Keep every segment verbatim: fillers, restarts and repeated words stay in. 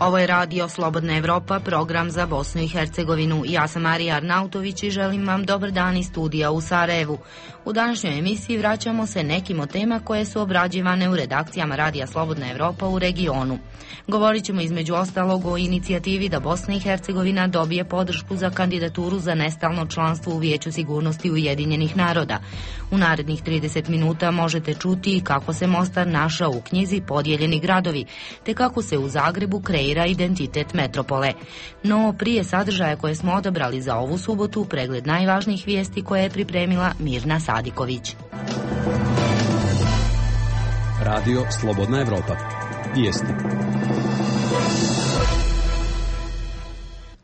Ovo je radio Slobodna Evropa, program za Bosnu i Hercegovinu. Ja sam Marija Arnautović i želim vam dobar dan iz studija u Sarajevu. U današnjoj emisiji vraćamo se nekim od tema koje su obrađivane u redakcijama radija Slobodna Evropa u regionu. Govorit ćemo između ostalog o inicijativi da Bosna i Hercegovina dobije podršku za kandidaturu za nestalno članstvo u Vijeću sigurnosti Ujedinjenih naroda. U narednih trideset minuta možete čuti kako se Mostar našao u knjizi Podijeljeni gradovi, te kako se u Zagrebu kreira identitet metropole. No prije sadržaja koje smo odabrali za ovu subotu, pregled najvažnijih vijesti koje je pripremila Mirna Sadiković. Radio Slobodna Evropa. Vijesti.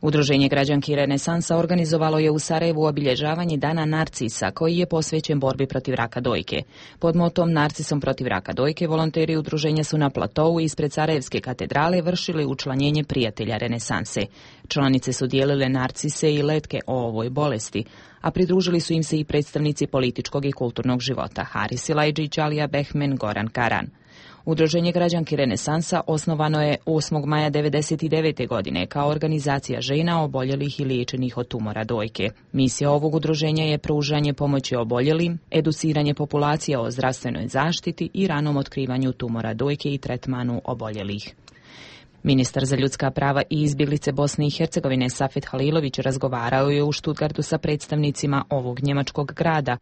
Udruženje građanki Renesansa organizovalo je u Sarajevu obilježavanje Dana Narcisa, koji je posvećen borbi protiv raka dojke. Pod motom Narcisom protiv raka dojke volonteri udruženja su na platovu ispred Sarajevske katedrale vršili učlanjenje prijatelja Renesanse. Članice su dijelile narcise i letke o ovoj bolesti, a pridružili su im se i predstavnici političkog i kulturnog života Haris Silajđić, Alija Behmen, Goran Karan. Udruženje građanki Renesansa osnovano je osmog maja devedeset devete. godine kao organizacija žena oboljelih i liječenih od tumora dojke. Misija ovog udruženja je pružanje pomoći oboljelim, educiranje populacije o zdravstvenoj zaštiti i ranom otkrivanju tumora dojke i tretmanu oboljelih. Ministar za ljudska prava i izbjeglice Bosne i Hercegovine Safet Halilović razgovarao je u Stuttgartu sa predstavnicima ovog njemačkog grada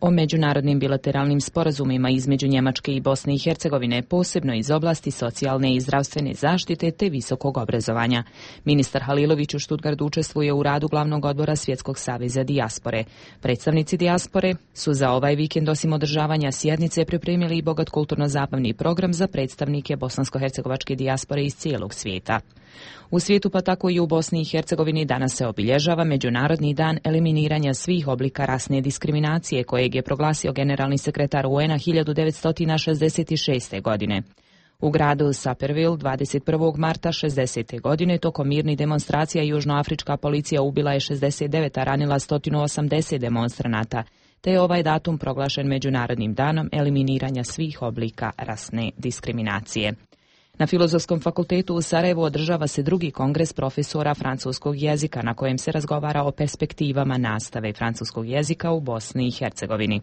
o međunarodnim bilateralnim sporazumima između Njemačke i Bosne i Hercegovine, posebno iz oblasti socijalne i zdravstvene zaštite te visokog obrazovanja. Ministar Halilović u Stuttgartu učestvuje u radu glavnog odbora Svjetskog saveza dijaspore. Predstavnici dijaspore su za ovaj vikend osim održavanja sjednice pripremili i bogat kulturno-zabavni program za predstavnike bosansko-hercegovačke dijaspore iz cijelog svijeta. U svijetu, pa tako i u Bosni i Hercegovini, danas se obilježava Međunarodni dan eliminiranja svih oblika rasne diskriminacije, kojeg je proglasio generalni sekretar U N a hiljadu devetsto šezdeset šeste. godine. U gradu Sapperville dvadeset prvog marta šezdesete. godine tokom mirnih demonstracija južnoafrička policija ubila je šezdeset devet, a ranila sto osamdeset demonstranata, te je ovaj datum proglašen Međunarodnim danom eliminiranja svih oblika rasne diskriminacije. Na Filozofskom fakultetu u Sarajevu održava se drugi kongres profesora francuskog jezika na kojem se razgovara o perspektivama nastave francuskog jezika u Bosni i Hercegovini.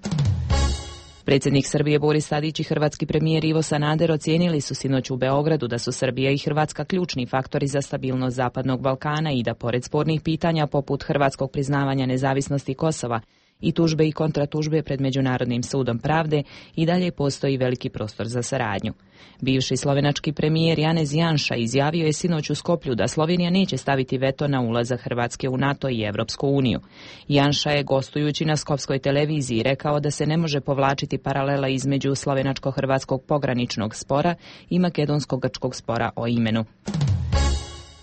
Predsjednik Srbije Boris Tadić i hrvatski premijer Ivo Sanader ocijenili su sinoć u Beogradu da su Srbija i Hrvatska ključni faktori za stabilnost Zapadnog Balkana i da pored spornih pitanja poput hrvatskog priznavanja nezavisnosti Kosova i tužbe i kontratužbe pred Međunarodnim sudom pravde i dalje postoji veliki prostor za saradnju. Bivši slovenački premijer Janez Janša izjavio je sinoć u Skoplju da Slovenija neće staviti veto na ulazak Hrvatske u NATO i Evropsku uniju. Janša je gostujući na skopskoj televiziji rekao da se ne može povlačiti paralela između slovenačko-hrvatskog pograničnog spora i makedonsko-grčkog spora o imenu.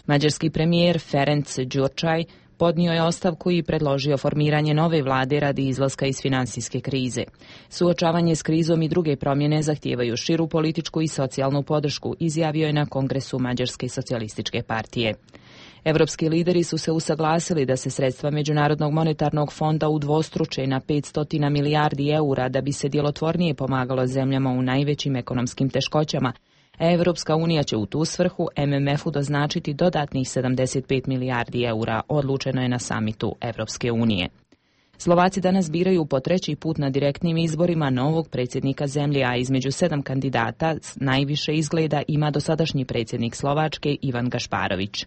Mađarski premijer Ferenc Gyurcsány podnio je ostavku i predložio formiranje nove vlade radi izlaska iz financijske krize. Suočavanje s krizom i druge promjene zahtijevaju širu političku i socijalnu podršku, izjavio je na kongresu Mađarske socijalističke partije. Evropski lideri su se usaglasili da se sredstva Međunarodnog monetarnog fonda udvostruče na petsto milijardi eura da bi se djelotvornije pomagalo zemljama u najvećim ekonomskim teškoćama. Evropska unija će u tu svrhu M M F-u doznačiti dodatnih sedamdeset pet milijardi eura, odlučeno je na samitu Evropske unije. Slovaci danas biraju po treći put na direktnim izborima novog predsjednika zemlje, a između sedam kandidata najviše izgleda ima dosadašnji predsjednik Slovačke Ivan Gašparović.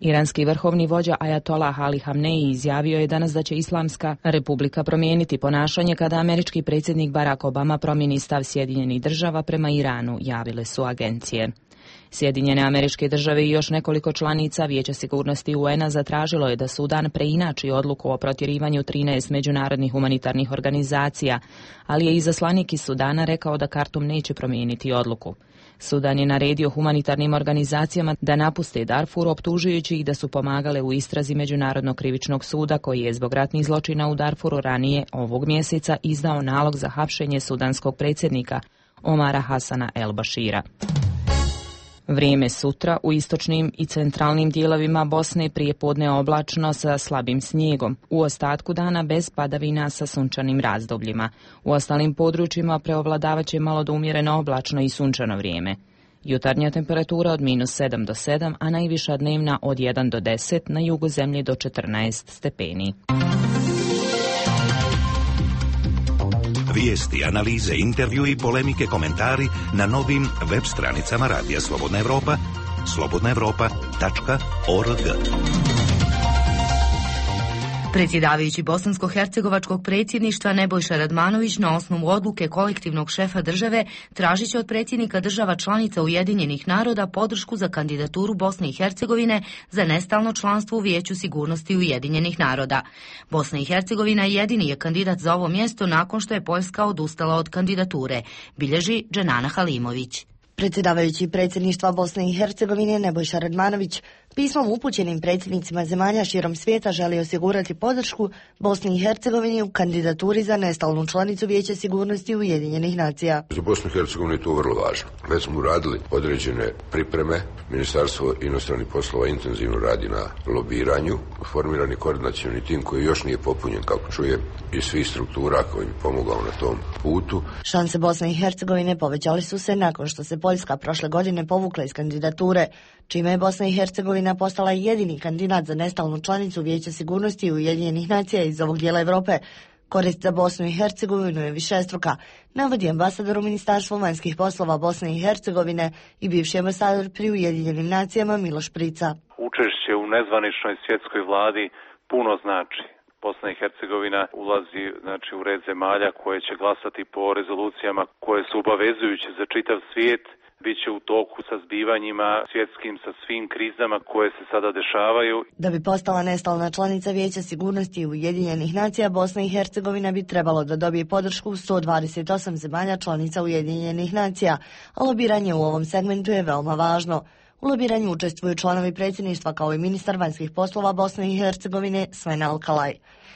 Iranski vrhovni vođa Ajatolah Ali Hamneji izjavio je danas da će Islamska republika promijeniti ponašanje kada američki predsjednik Barack Obama promijeni stav Sjedinjenih država prema Iranu, javile su agencije. Sjedinjene Američke države i još nekoliko članica Vijeća sigurnosti U N a zatražilo je da Sudan preinači odluku o protjerivanju trinaest međunarodnih humanitarnih organizacija, ali je izaslanik iz Sudana rekao da Kartum neće promijeniti odluku. Sudan je naredio humanitarnim organizacijama da napuste Darfur, optužujući ih da su pomagale u istrazi Međunarodnog krivičnog suda koji je zbog ratnih zločina u Darfuru ranije ovog mjeseca izdao nalog za hapšenje sudanskog predsjednika Omara Hasana El Bashira. Vrijeme sutra u istočnim i centralnim dijelovima Bosne prijepodne oblačno sa slabim snijegom. U ostatku dana bez padavina sa sunčanim razdobljima. U ostalim područjima preovladavat će malo do umjereno oblačno i sunčano vrijeme. Jutarnja temperatura od minus sedam do sedam, a najviša dnevna od jedan do deset, na jugu zemlje do četrnaest stepeni. Vijesti, analize, intervjui, polemike, komentari na novim web stranicama Radija Slobodna Evropa, slobodna evropa tačka org. Predsjedavajući bosansko-hercegovačkog predsjedništva Nebojša Radmanović na osnovu odluke kolektivnog šefa države tražit će od predsjednika država članica Ujedinjenih naroda podršku za kandidaturu Bosne i Hercegovine za nestalno članstvo u Vijeću sigurnosti Ujedinjenih naroda. Bosna i Hercegovina jedini je kandidat za ovo mjesto nakon što je Poljska odustala od kandidature, bilježi Dženana Halimović. Predsjedavajući predsjedništva Bosne i Hercegovine Nebojša Radmanović pismom upućenim predsjednicima zemalja širom svijeta želi osigurati podršku Bosni i Hercegovini u kandidaturi za nestalnu članicu Vijeća sigurnosti Ujedinjenih nacija. Za Bosnu i Hercegovinu je to vrlo važno. Već smo uradili određene pripreme. Ministarstvo inostranih poslova intenzivno radi na lobiranju. Formiran je koordinacioni tim koji još nije popunjen, kako čuje, iz svih struktura koji mi pomogao na tom putu. Šanse Bosne i Hercegovine povećali su se nakon što se Poljska prošle godine povukla iz kandidature, čime je Bosna i Hercegovina postala jedini kandidat za nestalnu članicu Vijeća sigurnosti Ujedinjenih nacija iz ovog dijela Europe. Korist za Bosnu i Hercegovinu je višestruka, navodi ambasador u Ministarstvu vanjskih poslova Bosne i Hercegovine i bivši ambasador pri Ujedinjenim nacijama Miloš Prica. Učešće u nezvaničnoj svjetskoj vladi puno znači. Bosna i Hercegovina ulazi znači u red zemalja koje će glasati po rezolucijama koje su obavezujuće za čitav svijet. Biće u toku sa zbivanjima svjetskim, sa svim krizama koje se sada dešavaju. Da bi postala nestalna članica Vijeća sigurnosti Ujedinjenih nacija, Bosna i Hercegovina bi trebalo da dobije podršku sto dvadeset osam zemalja članica Ujedinjenih nacija, a lobiranje u ovom segmentu je veoma važno. U lobiranju učestvuju članovi predsjedništva kao i ministar vanjskih poslova Bosne i Hercegovine Sven Alkalaj.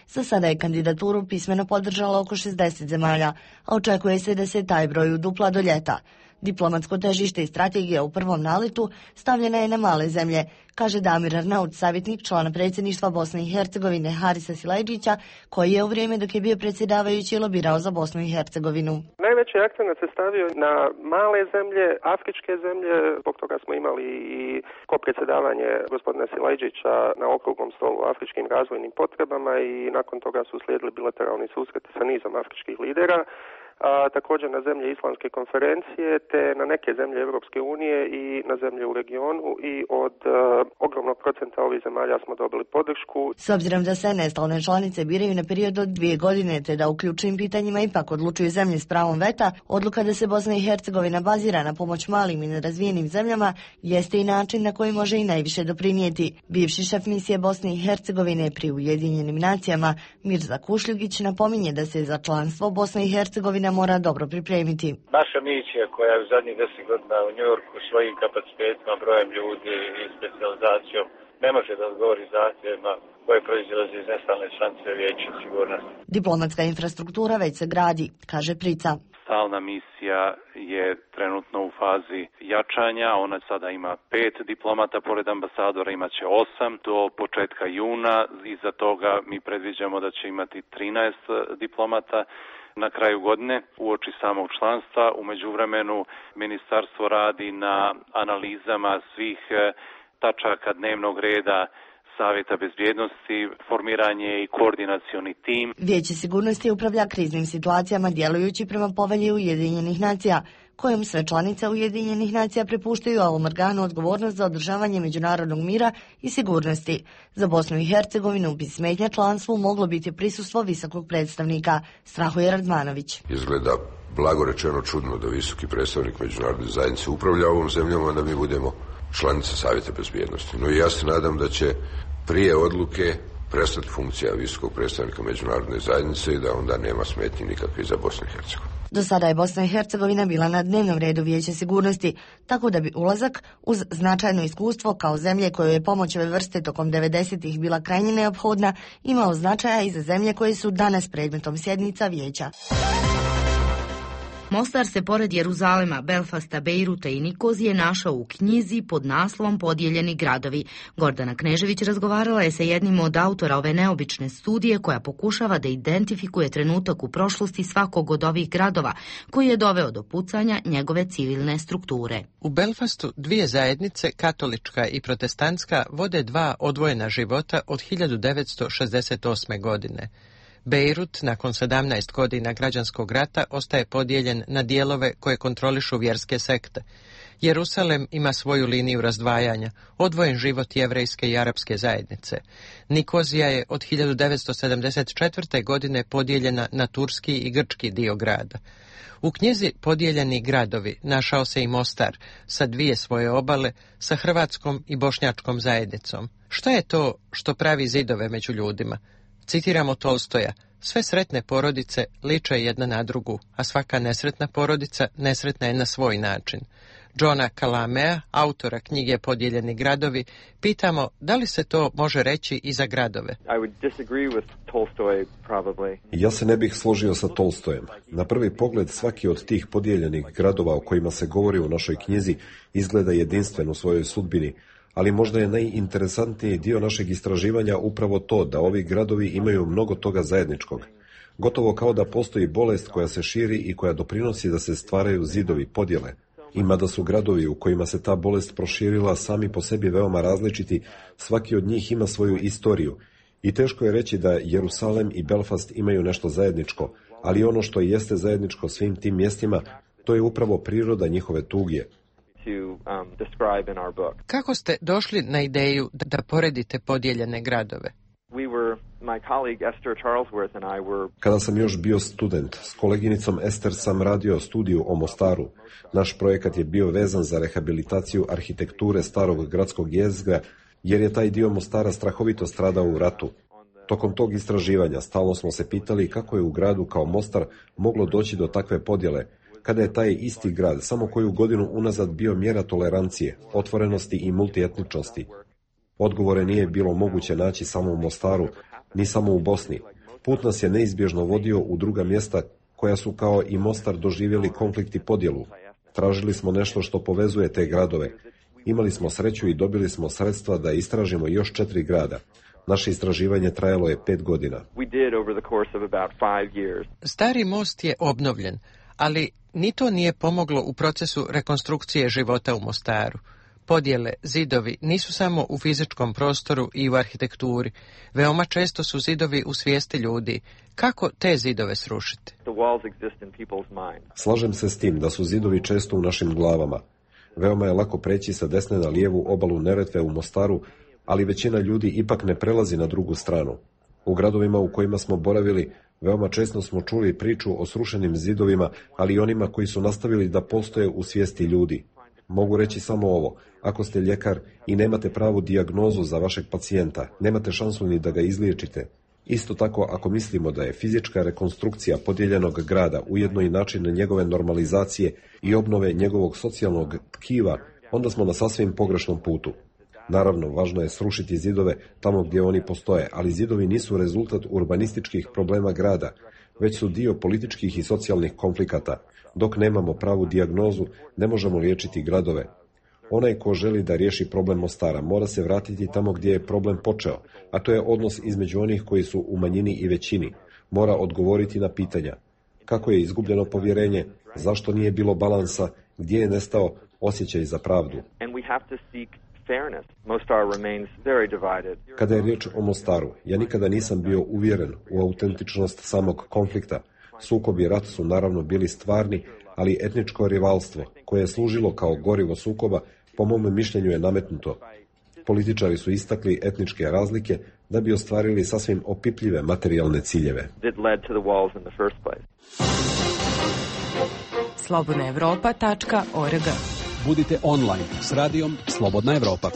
Za sada je kandidaturu pismeno podržalo oko šezdeset zemalja, a očekuje se da se taj broj udupla do ljeta. Diplomatsko težište i strategija u prvom naletu stavljena je na male zemlje, kaže Damir Arnaut, savjetnik člana predsjedništva Bosne i Hercegovine Harisa Silajdžića, koji je u vrijeme dok je bio predsjedavajući lobirao za Bosnu i Hercegovinu. Najveći akcent se stavio na male zemlje, afričke zemlje, zbog toga smo imali i kopredsjedavanje gospodina Silajdžića na okruglom stolu o afričkim razvojnim potrebama i nakon toga su slijedili bilateralni susreti sa nizom afričkih lidera. A, također na zemlje Islamske konferencije te na neke zemlje Europske unije i na zemlje u regionu i od a, ogromnog procenta ovih zemalja smo dobili podršku. S obzirom da se nestalne članice biraju na period od dvije godine te da u ključnim pitanjima ipak odlučuju zemlje s pravom veta, odluka da se Bosna i Hercegovina bazira na pomoć malim i nerazvijenim zemljama jeste i način na koji može i najviše doprinijeti. Bivši šef misije Bosne i Hercegovine pri Ujedinjenim nacijama Mirza Kušljugić napominje da se za članstvo Bosne i Hercegovine mora dobro pripremiti. Naša misija koja je u zadnjih deset godina u Njujorku svojim kapacitetima, brojem ljudi i specijalizacijom ne može da odgovori zahtjevima koje proizilaze iz nestalne članice Vijeća sigurnosti. Diplomatska infrastruktura već se gradi, kaže Prica. Stalna misija je trenutno u fazi jačanja, ona sada ima pet diplomata, pored ambasadora imaće osam do početka juna, iza toga mi predviđamo da će imati trinaest diplomata. Na kraju godine, uoči samog članstva, u međuvremenu ministarstvo radi na analizama svih tačaka dnevnog reda Savjeta bezbjednosti, formiranje i koordinacioni tim. Vijeće sigurnosti upravlja kriznim situacijama djelujući prema povelji Ujedinjenih nacija, kojom sve članice Ujedinjenih nacija prepuštaju ovom organu odgovornost za održavanje međunarodnog mira i sigurnosti. Za Bosnu i Hercegovinu bi smetnja članstvu moglo biti prisustvo visokog predstavnika, strahuje Radmanović. Izgleda blago rečeno čudno da visoki predstavnik međunarodne zajednice upravlja ovom zemljom, a da mi budemo članica Savjeta bezbjednosti. No i ja se nadam da će prije odluke prestati funkcija visokog predstavnika međunarodne zajednice i da onda nema smetnji nikakve za Bosnu i Hercegovinu. Do sada je Bosna i Hercegovina bila na dnevnom redu Vijeća sigurnosti, tako da bi ulazak uz značajno iskustvo kao zemlje koje je pomoć ove vrste tokom devedesetih bila krajnje neophodna, imao značaja i za zemlje koje su danas predmetom sjednica Vijeća. Mostar se pored Jeruzalema, Belfasta, Bejruta i Nikozije našao u knjizi pod naslovom Podijeljeni gradovi. Gordana Knežević razgovarala je sa jednim od autora ove neobične studije koja pokušava da identifikuje trenutak u prošlosti svakog od ovih gradova koji je doveo do pucanja njegove civilne strukture. U Belfastu dvije zajednice, katolička i protestantska, vode dva odvojena života od hiljadu devetsto šezdeset osme. godine. Bejrut, nakon sedamnaest godina građanskog rata, ostaje podijeljen na dijelove koje kontrolišu vjerske sekte. Jerusalem ima svoju liniju razdvajanja, odvojen život jevrejske i arapske zajednice. Nikozija je od hiljadu devetsto sedamdeset četvrte. godine podijeljena na turski i grčki dio grada. U knjizi Podijeljeni gradovi našao se i Mostar sa dvije svoje obale, sa hrvatskom i bošnjačkom zajednicom. Šta je to što pravi zidove među ljudima? Citiramo Tolstoja: sve sretne porodice liče jedna na drugu, a svaka nesretna porodica nesretna je na svoj način. Johna Kalamea, autora knjige Podijeljeni gradovi, pitamo da li se to može reći i za gradove. Ja se ne bih složio sa Tolstojem. Na prvi pogled svaki od tih podijeljenih gradova o kojima se govori u našoj knjizi izgleda jedinstven u svojoj sudbini, ali možda je najinteresantniji dio našeg istraživanja upravo to da ovi gradovi imaju mnogo toga zajedničkog. Gotovo kao da postoji bolest koja se širi i koja doprinosi da se stvaraju zidovi podjele. Ima da su gradovi u kojima se ta bolest proširila sami po sebi veoma različiti, svaki od njih ima svoju istoriju. I teško je reći da Jerusalem i Belfast imaju nešto zajedničko, ali ono što jeste zajedničko svim tim mjestima, to je upravo priroda njihove tuge. Kako ste došli na ideju da, da poredite podijeljene gradove? Kada sam još bio student, s koleginicom Ester sam radio studiju o Mostaru. Naš projekat je bio vezan za rehabilitaciju arhitekture starog gradskog jezgra, jer je taj dio Mostara strahovito stradao u ratu. Tokom tog istraživanja stalno smo se pitali kako je u gradu kao Mostar moglo doći do takve podjele, kada je taj isti grad samo koju godinu unazad bio mjera tolerancije, otvorenosti i multietničnosti. Odgovore nije bilo moguće naći samo u Mostaru, ni samo u Bosni. Put nas je neizbježno vodio u druga mjesta koja su kao i Mostar doživjeli konflikt i podjelu. Tražili smo nešto što povezuje te gradove. Imali smo sreću i dobili smo sredstva da istražimo još četiri grada. Naše istraživanje trajalo je pet godina. Stari most je obnovljen, ali ni to nije pomoglo u procesu rekonstrukcije života u Mostaru. Podjele, zidovi nisu samo u fizičkom prostoru i u arhitekturi. Veoma često su zidovi u svijesti ljudi. Kako te zidove srušiti? Slažem se s tim da su zidovi često u našim glavama. Veoma je lako preći sa desne na lijevu obalu Neretve u Mostaru, ali većina ljudi ipak ne prelazi na drugu stranu. U gradovima u kojima smo boravili, veoma često smo čuli priču o srušenim zidovima, ali i onima koji su nastavili da postoje u svijesti ljudi. Mogu reći samo ovo: ako ste ljekar i nemate pravu dijagnozu za vašeg pacijenta, nemate šansu ni da ga izliječite. Isto tako, ako mislimo da je fizička rekonstrukcija podijeljenog grada ujedno i način njegove normalizacije i obnove njegovog socijalnog tkiva, onda smo na sasvim pogrešnom putu. Naravno, važno je srušiti zidove tamo gdje oni postoje, ali zidovi nisu rezultat urbanističkih problema grada, već su dio političkih i socijalnih konflikata. Dok nemamo pravu dijagnozu, ne možemo liječiti gradove. Onaj ko želi da riješi problem Mostara mora se vratiti tamo gdje je problem počeo, a to je odnos između onih koji su u manjini i većini. Mora odgovoriti na pitanja: kako je izgubljeno povjerenje, zašto nije bilo balansa, gdje je nestao osjećaj za pravdu. Kada je riječ o Mostaru, ja nikada nisam bio uvjeren u autentičnost samog konflikta. Sukob i rat su naravno bili stvarni, ali etničko rivalstvo, koje je služilo kao gorivo sukoba, po mom mišljenju je nametnuto. Političari su istakli etničke razlike da bi ostvarili sasvim opipljive materijalne ciljeve. slobodna evropa tačka org. Budite online s radijom Slobodna Evropa.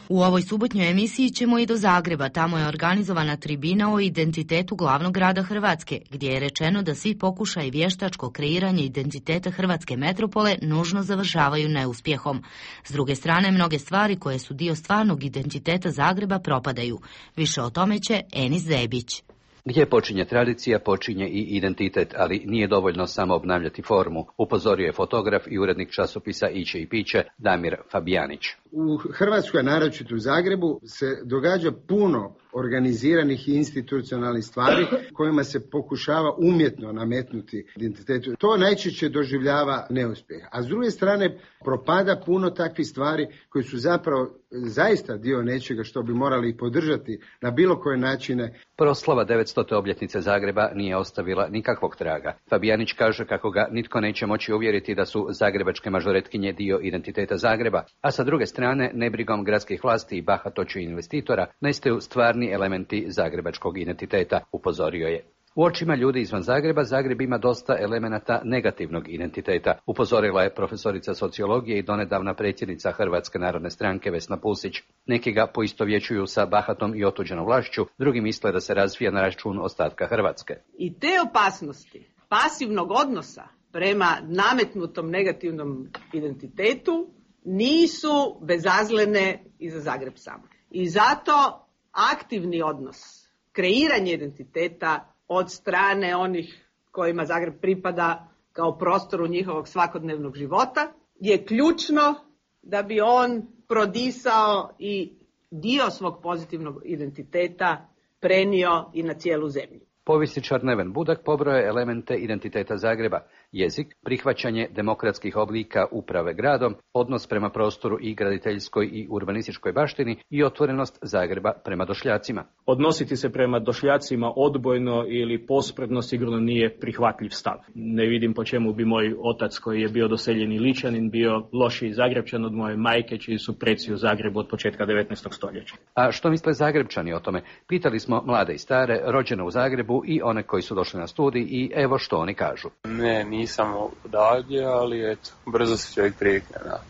U ovoj subotnjoj emisiji ćemo i do Zagreba. Tamo je organizovana tribina o identitetu glavnog grada Hrvatske, gdje je rečeno da svi pokušaji vještačko kreiranje identiteta hrvatske metropole nužno završavaju neuspjehom. S druge strane, mnoge stvari koje su dio stvarnog identiteta Zagreba propadaju. Više o tome će Enis Zebić. Gdje počinje tradicija, počinje i identitet, ali nije dovoljno samo obnavljati formu, upozorio je fotograf i urednik časopisa Iće i piće Damir Fabijanić. U Hrvatskoj, naročito u Zagrebu, se događa puno organiziranih i institucionalnih stvari kojima se pokušava umjetno nametnuti identitetu. To najčešće doživljava neuspjeh. A s druge strane propada puno takvih stvari koji su zapravo zaista dio nečega što bi morali podržati na bilo koje načine. Proslava devetstote obljetnice Zagreba nije ostavila nikakvog traga. Fabijanić kaže kako ga nitko neće moći uvjeriti da su zagrebačke mažoretkinje dio identiteta Zagreba, a sa druge strane nebrigom gradskih vlasti i bahatoću investitora nestaju stvarni elementi zagrebačkog identiteta, upozorio je. U očima ljudi izvan Zagreba, Zagreb ima dosta elemenata negativnog identiteta, upozorila je profesorica sociologije i donedavna predsjednica Hrvatske narodne stranke Vesna Pusić. Neki ga poistovjećuju sa bahatom i otuđenom vlašću, drugi misle da se razvija na račun ostatka Hrvatske. I te opasnosti pasivnog odnosa prema nametnutom negativnom identitetu nisu bezazlene i za Zagreb sam. I zato aktivni odnos, kreiranje identiteta od strane onih kojima Zagreb pripada kao prostoru njihovog svakodnevnog života je ključno da bi on prodisao i dio svog pozitivnog identiteta prenio i na cijelu zemlju. Povjesničar Neven Budak pobrojao je elemente identiteta Zagreba: jezik, prihvaćanje demokratskih oblika uprave gradom, odnos prema prostoru i graditeljskoj i urbanističkoj baštini i otvorenost Zagreba prema došljacima. Odnositi se prema došljacima odbojno ili pospredno sigurno nije prihvatljiv stav. Ne vidim po čemu bi moj otac, koji je bio doseljeni Ličanin, bio lošiji Zagrebčan od moje majke, čiji su preci u Zagrebu od početka devetnaestog stoljeća. A što misle Zagrebčani o tome? Pitali smo mlade i stare, rođene u Zagrebu i one koji su došli na studij i evo što oni kažu. Ne, nisam odavdje, ali eto, brzo se čovjek privikne, da.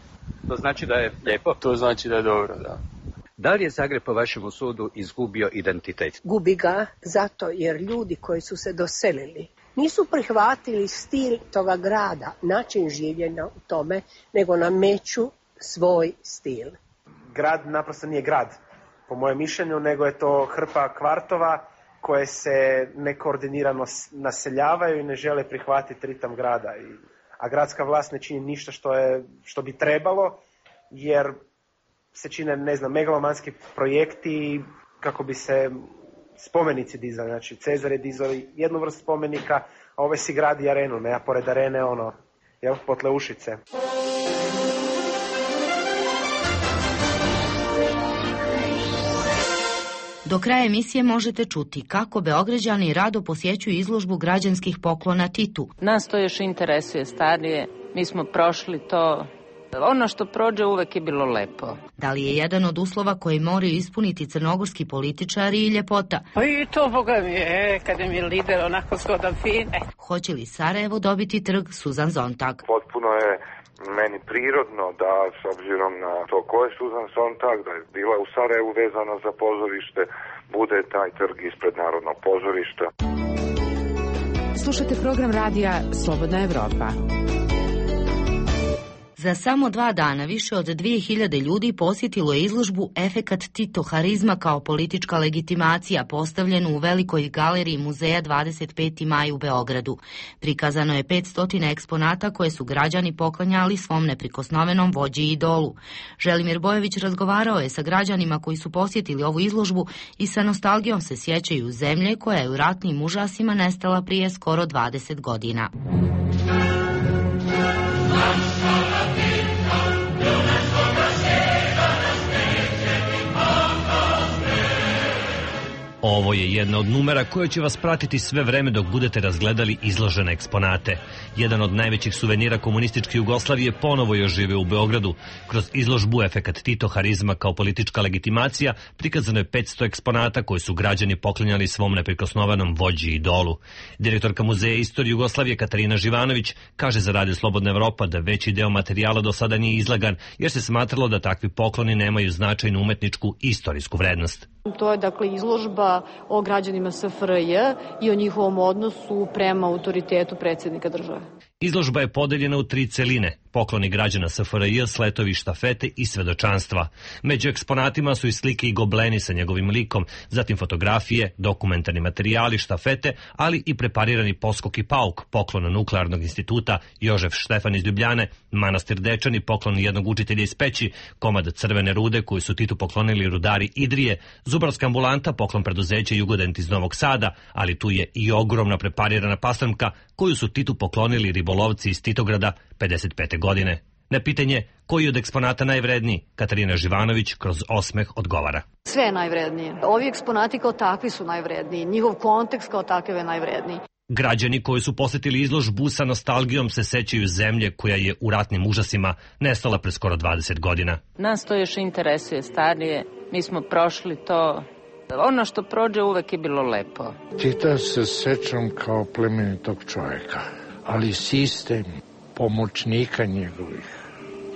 To znači da je lijepo? To znači da je dobro, da. Da li je Zagreb po vašem sudu izgubio identitet? Gubi ga zato jer ljudi koji su se doselili nisu prihvatili stil toga grada, način življenja u tome, nego nameću svoj stil. Grad naprosto nije grad, po mojem mišljenju, nego je to hrpa kvartova koje se nekoordinirano naseljavaju i ne žele prihvatiti ritam grada. A gradska vlast ne čini ništa što, je, što bi trebalo, jer se čine, ne znam, megalomanski projekti kako bi se spomenici dizali. Znači, Cezar je dizao jednu vrstu spomenika, a ove si gradi arenu, ne, a pored arene, ono, jel, Potleušice. Do kraja emisije možete čuti kako Beograđani rado posjećuju izložbu građanskih poklona Titu. Nas to još interesuje starije, mi smo prošli to. Ono što prođe uvek je bilo lepo. Da li je jedan od uslova koji moraju ispuniti crnogorski političari i ljepota? Pa i to, boga mi je, kada mi je lider onako zgodan fin. E. Hoće li Sarajevo dobiti trg Suzan Zontag? Potpuno je meni prirodno da, s obzirom na to ko je Suzan Sontag, da je bila u Sarajevu vezana za pozorište, bude taj trg ispred Narodnog pozorišta. Slušajte program radija Slobodna Evropa. Za samo dva dana više od dvije hiljade ljudi posjetilo je izložbu Efekat Tito harizma kao politička legitimacija, postavljenu u velikoj galeriji muzeja dvadeset peti maj u Beogradu. Prikazano je petsto eksponata koje su građani poklanjali svom neprikosnovenom vođi i idolu. Želimir Bojović razgovarao je sa građanima koji su posjetili ovu izložbu i sa nostalgijom se sjećaju zemlje koja je u ratnim užasima nestala prije skoro dvadeset godina. Ovo je jedna od numera koja će vas pratiti sve vreme dok budete razgledali izložene eksponate. Jedan od najvećih suvenira komunističke Jugoslavije ponovo je oživio u Beogradu. Kroz izložbu Efekat Tito harizma kao politička legitimacija prikazano je petsto eksponata koje su građani poklanjali svom neprikosnovenom vođi i idolu. Direktorka Muzeja istorije Jugoslavije Katarina Živanović kaže za Radio Slobodna Evropa da veći deo materijala do sada nije izlagan jer se smatralo da takvi pokloni nemaju značajnu umetničku i istorijsku vrednost. To je dakle izložba o građanima S F R J i o njihovom odnosu prema autoritetu predsjednika države. Izložba je podeljena u tri celine, pokloni građana S F R J, sletovi, štafete i svedočanstva. Među eksponatima su i slike i gobleni sa njegovim likom, zatim fotografije, dokumentarni materijali, štafete, ali i preparirani poskok i pauk, poklon Nuklearnog instituta, Jožef Štefan iz Ljubljane, manastir Dečani, poklon jednog učitelja iz Peći, komad crvene rude koju su Titu poklonili rudari Idrije, zubarska ambulanta, poklon preduzeća Jugodent iz Novog Sada, ali tu je i ogromna preparirana paslamka koju su Titu poklonili ribolovci iz Titograda pedeset pete godine. Na pitanje koji od eksponata najvredniji, Katarina Živanović kroz osmeh odgovara. Sve je najvrednije. Ovi eksponati kao takvi su najvredniji. Njihov kontekst kao takav je najvredniji. Građani koji su posjetili izložbu sa nostalgijom se sećaju zemlje koja je u ratnim užasima nestala pre skoro dvadeset godina. Nas to još interesuje starije. Mi smo prošli to. Ono što prođe uvek je bilo lepo. Tita se sećam kao plemenitog čovjeka, ali sistem pomoćnika njegovih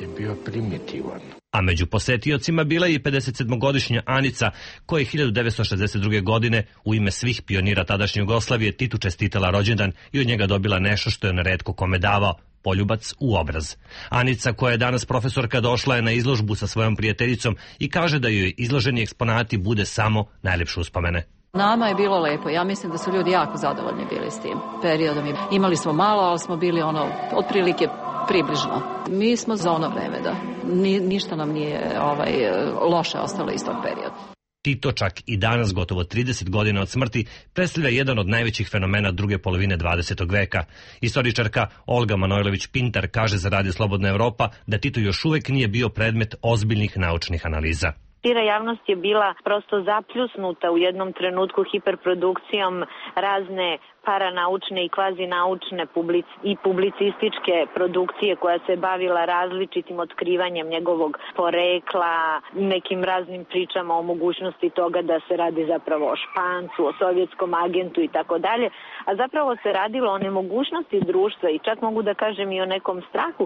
je bio primitivan. A među posetiocima bila je i pedesetsedmogodišnja Anica, koja je hiljadu devetsto šezdeset druge. godine u ime svih pionira tadašnje Jugoslavije Titu čestitala rođendan i od njega dobila nešto što je on retko kome davao, poljubac u obraz. Anica, koja je danas profesorka, došla je na izložbu sa svojom prijateljicom i kaže da joj izloženi eksponati bude samo najlepše uspomene. Nama je bilo lepo. Ja mislim da su ljudi jako zadovoljni bili s tim periodom. Imali smo malo, ali smo bili ono otprilike približno. Mi smo za ono vreme, da. Ni, ništa nam nije ovaj, loše ostalo iz tog perioda. Tito čak i danas, gotovo trideset godina od smrti, predstavlja jedan od najvećih fenomena druge polovine dvadesetog veka. Istoričarka Olga Manojlović-Pintar kaže za Radio Slobodna Evropa da Tito još uvek nije bio predmet ozbiljnih naučnih analiza. Šira javnost je bila prosto zapljusnuta u jednom trenutku hiperprodukcijom razne paranaučne i kvazinaučne public i publicističke produkcije koja se bavila različitim otkrivanjem njegovog porekla, nekim raznim pričama o mogućnosti toga da se radi zapravo o Špancu, o sovjetskom agentu i tako dalje, a zapravo se radilo o nemogućnosti društva i čak mogu da kažem i o nekom strahu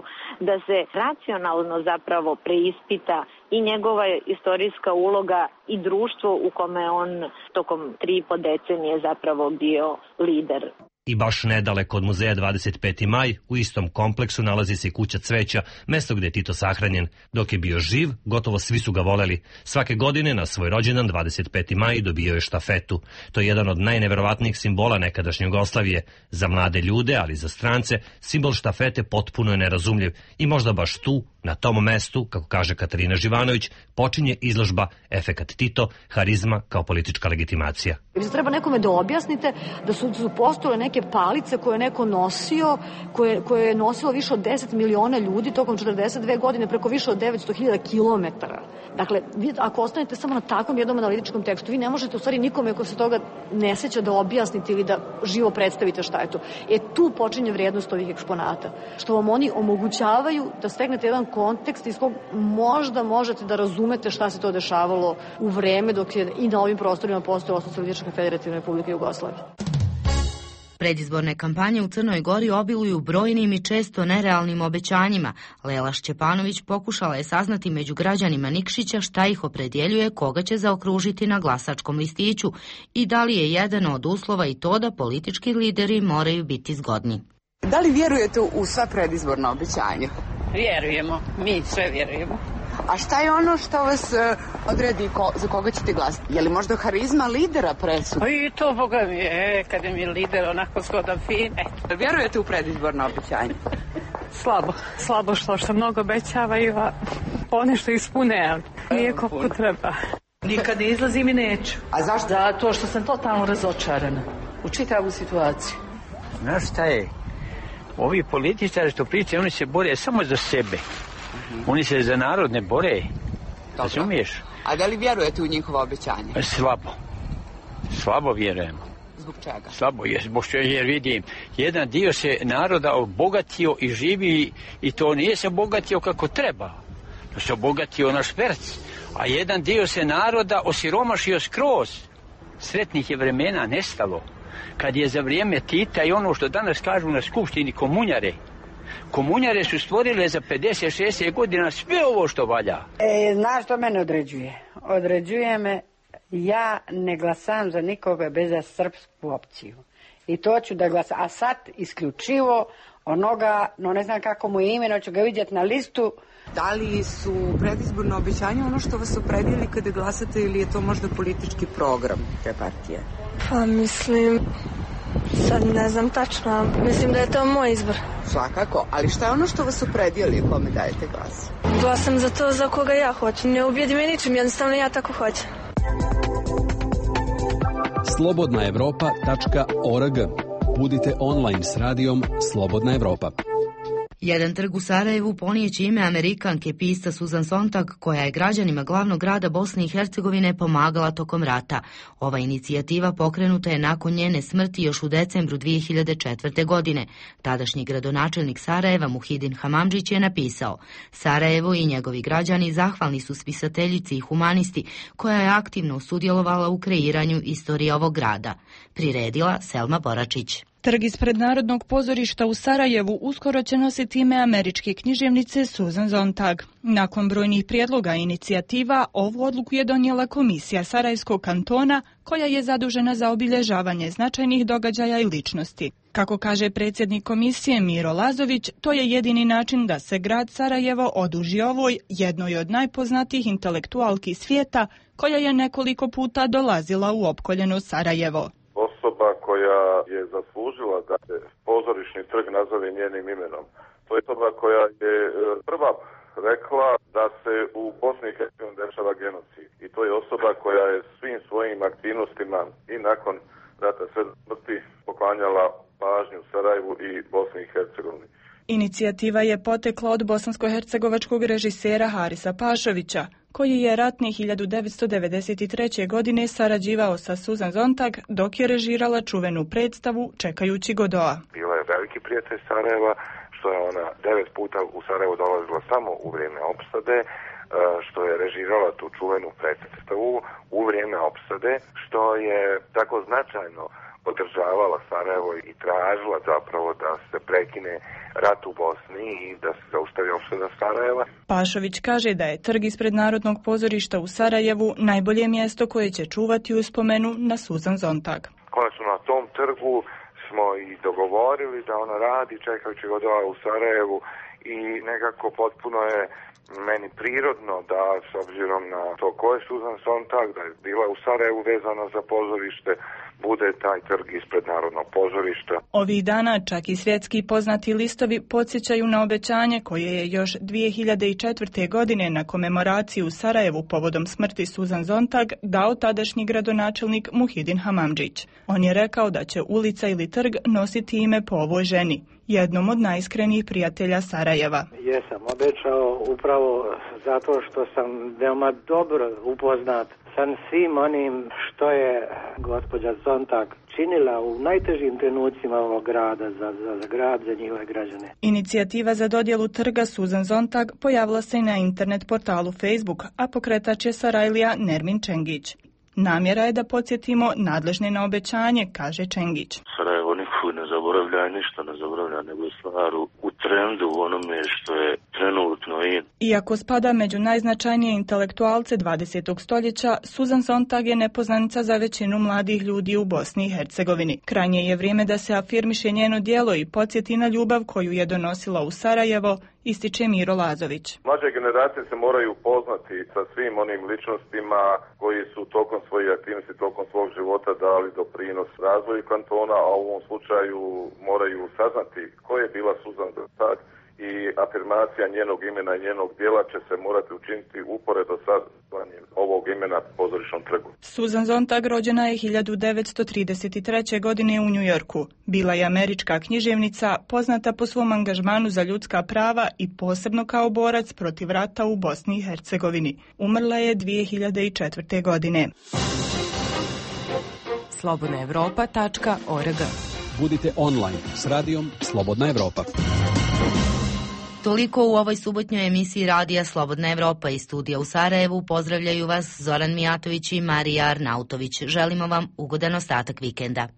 da se racionalno zapravo preispita i njegova istorijska uloga i društvo u kome on tokom tri i po decenije zapravo bio lider. I baš nedaleko od muzeja dvadeset peti maj, u istom kompleksu nalazi se i kuća cveća, mesto gde je Tito sahranjen. Dok je bio živ, gotovo svi su ga voleli. Svake godine na svoj rođendan dvadeset peti maj dobio je štafetu. To je jedan od najneverovatnijih simbola nekadašnje Jugoslavije. Za mlade ljude, ali za strance, simbol štafete potpuno je nerazumljiv. I možda baš tu, na tom mestu, kako kaže Katarina Živanović, počinje izložba Efekat Tito, harizma kao politička legitimacija. Treba nekome da objasnite da su, su postojale neke palice koje je neko nosio, koje, koje je nosilo više od deset miliona ljudi tokom četrdeset dve godine preko više od devetsto hiljada kilometara. Dakle, vi ako ostanete samo na takvom jednom analitičkom tekstu, vi ne možete u stvari nikome ko se toga ne seća da objasnite ili da živo predstavite šta je to. E tu počinje vrijednost ovih eksponata. Što vam oni omogućavaju da stegnete jedan kontekst iz kog možda možete da razumete šta se to dešavalo u vreme dok je i na ovim prostorima postojala Socijalistička Federativna Republika Jugoslavija. Predizborne kampanje u Crnoj Gori obiluju brojnim i često nerealnim obećanjima. Lela Šćepanović pokušala je saznati među građanima Nikšića šta ih opredjeljuje, koga će zaokružiti na glasačkom listiću i da li je jedan od uslova i to da politički lideri moraju biti zgodni. Da li vjerujete u sva predizborna obećanja? Vjerujemo, mi sve vjerujemo. A šta je ono što vas uh, odredi ko, za koga ćete glasati? Je li možda harizma lidera presudna? I to, boga mi je, kada mi je lider onako zgodan fin. Eto. Vjerujete u predizborna obećanja? Slabo, slabo što što mnogo obećavaju, a ponešto ispune, ali nije koliko treba. Nikad ne izlazim i neću. A zašto? Zato što sam totalno razočarana u čitavu situaciju. Znaš šta je? Ovi političari što pričaju, oni se bore samo za sebe. Oni se za narod ne bore. Razumiješ? A da li vjerujete u njihova obećanja? Slabo. Slabo vjerujemo. Zbog čega? Slabo je, zbog što jer vidim, jedan dio se naroda obogatio i živi i to nije se obogatio kako treba. To se obogatio na šperc. A jedan dio se naroda osiromašio skroz. Sretnih je vremena nestalo. Kad je za vrijeme Tita i ono što danas kažu na skupštini komunjare, komunjare su stvorile za pedeset šezdeset godina sve ovo što valja. E, znaš što mene određuje? Određuje me, ja ne glasam za nikoga bez za srpsku opciju. I to ću da glasam. A sad isključivo onoga, no ne znam kako mu je ime, no ću ga vidjeti na listu. Da li su predizborno obećanja ono što vas opredijeli kada glasate ili je to možda politički program te partije? Pa mislim, sad ne znam tačno, mislim da je to moj izbor. Svakako, ali šta je ono što vas opredijeli kome dajete glas? Glasam za to za koga ja hoću, ne ubijedi me ničim, jednostavno ja tako hoćem. slobodna evropa tačka org. Budite online s radijom Slobodna Evropa. Jedan trg u Sarajevu ponijeće ime Amerikanke pista Susan Sontag, koja je građanima glavnog grada Bosne i Hercegovine pomagala tokom rata. Ova inicijativa pokrenuta je nakon njene smrti još u decembru dvije hiljade četvrte. godine. Tadašnji gradonačelnik Sarajeva Muhidin Hamamdžić je napisao: Sarajevo i njegovi građani zahvalni su spisateljici i humanisti koja je aktivno sudjelovala u kreiranju istorije ovog grada. Priredila Selma Boračić. Trg ispred Narodnog pozorišta u Sarajevu uskoro će nositi ime američke književnice Susan Sontag. Nakon brojnih prijedloga i inicijativa, ovu odluku je donijela Komisija Sarajevskog kantona, koja je zadužena za obilježavanje značajnih događaja i ličnosti. Kako kaže predsjednik komisije Miro Lazović, to je jedini način da se grad Sarajevo oduži ovoj, jednoj od najpoznatijih intelektualki svijeta, koja je nekoliko puta dolazila u opkoljeno Sarajevo. Osoba koja je zaslužila da se pozorišni trg nazove njenim imenom. To je osoba koja je prva rekla da se u Bosni i Hercegovini dešava genocid. I to je osoba koja je svim svojim aktivnostima i nakon rata sve smrti poklanjala pažnju Sarajevu i Bosni i Hercegovini. Inicijativa je potekla od bosansko-hercegovačkog režisera Harisa Pašovića, koji je ratne hiljadu devetsto devedeset treće. godine sarađivao sa Susan Sontag dok je režirala čuvenu predstavu Čekajući Godoa. Bila je veliki prijatelj Sarajeva, što je ona devet puta u Sarajevo dolazila samo u vrijeme opsade, što je režirala tu čuvenu predstavu u vrijeme opsade, što je tako značajno podržavala Sarajevo i tražila zapravo da se prekine rat u Bosni i da se zaustavi opsada Sarajeva. Pašović kaže da je trg ispred Narodnog pozorišta u Sarajevu najbolje mjesto koje će čuvati uspomenu na Susan Sontag. Konačno na tom trgu smo i dogovorili da ona radi Čekajući Godoa u Sarajevu i nekako potpuno je meni prirodno da, s obzirom na to ko je Susan Sontag, da je bila u Sarajevu vezana za pozorište, bude taj trg ispred Narodnog pozorišta. Ovih dana čak i svjetski poznati listovi podsjećaju na obećanje koje je još dvije hiljade četvrte. godine na komemoraciji u Sarajevu povodom smrti Susan Sontag dao tadašnji gradonačelnik Muhidin Hamamdžić. On je rekao da će ulica ili trg nositi ime po ovoj ženi, jednom od najiskrenijih prijatelja Sarajeva. Jesam obećao upravo zato što sam veoma dobro upoznat sa svim onim što je gospođa Sontag činila u najtežim trenucima ovog grada, za, za, za grad, za njihove građane. Inicijativa za dodjelu trga Susan Sontag pojavila se i na internet portalu Facebook, a pokretač je Sarajlija Nermin Čengić. Namjera je da podsjetimo nadležne na obećanje, kaže Čengić. Sarajevo niko ne zaboravlja, ništa ne zaboravlja, nego stvar u trendu, u onome što je trenutno in. Iako spada među najznačajnije intelektualce dvadesetog stoljeća, Susan Sontag je nepoznanica za većinu mladih ljudi u Bosni i Hercegovini. Krajnje je vrijeme da se afirmiše njeno djelo i podsjeti na ljubav koju je donosila u Sarajevo, ističe Miro Lazović. Mlađe generacije se moraju upoznati sa svim onim ličnostima koji su tokom svojih aktivnosti, tokom svog života dali doprinos razvoju kantona, a u ovom slučaju moraju saznati ko je bila Susan Sontag i afirmacija njenog imena i njenog djela će se morati učiniti uporedo sa zvanjem ovog imena pozorišnom trgu. Susan Sontag rođena je hiljadu devetsto trideset treće. godine u Njujorku. Bila je američka književnica, poznata po svom angažmanu za ljudska prava i posebno kao borac protiv rata u Bosni i Hercegovini. Umrla je dvije hiljade četvrte. godine. slobodna evropa tačka org. Budite online s radijom Slobodna Evropa. Toliko u ovoj subotnjoj emisiji radija Slobodna Evropa iz studija u Sarajevu. Pozdravljaju vas Zoran Mijatović i Marija Arnautović. Želimo vam ugodan ostatak vikenda.